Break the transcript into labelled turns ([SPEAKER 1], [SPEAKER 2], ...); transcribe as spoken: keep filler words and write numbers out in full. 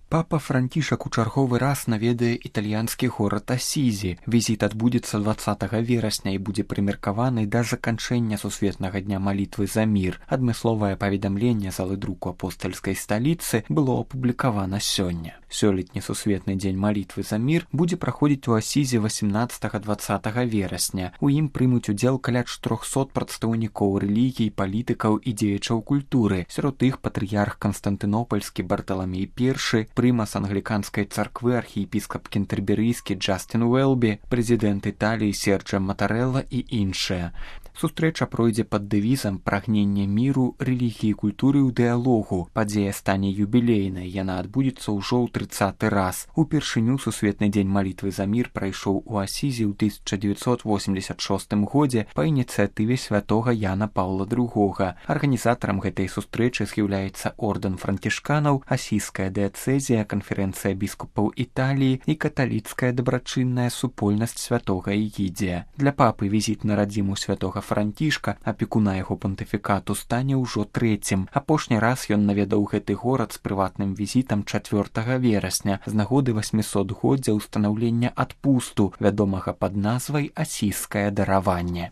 [SPEAKER 1] Папа Францішак у чарговы раз наведае італьянскі горад Асізі. Візіт адбудзецца дваццатага верасня і будзе прымеркаваны да заканчэння сусветнага дня малітвы за мір. Адмысловае паведамленне залы друку апостальскай сталіцы было апублікавана сёння. Сёлетні сусветны дзень малітвы за мір будзе праходзіць у Асізе васямнаццатага-дваццатага верасня. У ім прымуць удзел каля чатырохсот прадстаўнікоў рэлігій, палітыкаў і дзеячаў культуры. Сярод іх патрыярх Канстантынопальскі Барталамей першы, прымас англіканскай царквы архіепіскап кентэрберыйскі Джастін Уэлбі, прэзідэнт Італіі Серджа Матарэлла і іншыя. Сустрэча пройдзе пад дэвізам «Прагненне міру, рэлігіі, культуры ў дыялогу». Падзея стане юбілейнай, яна адбудзецца ўжо ў трыццаты раз. Упершыню сусветны дзень малітвы за мір прайшоў у Асізе ў тысяча дзевяцьсот восемьдесят шостым годзе па ініцыятыве святога Яна Паўла другога. Арганізатарам гэтай сустрэчы з'яўляецца ордэн францішканаў, асійская дыяцэзія, канферэнцыя біскупаў Італіі і каталіцкая дабрачынная супольнасць святога Егідзія. Для папы візіт на радзіму святога Францішка, апекуна яго пантыфікату, стане ўжо трэцім. Апошні раз ён наведаў гэты горад з прыватным візітам чацвёртага верасня з нагоды васьмісотгоддзя ўстанаўлення адпусту, вядомага пад назвай «Асійскае дараванне».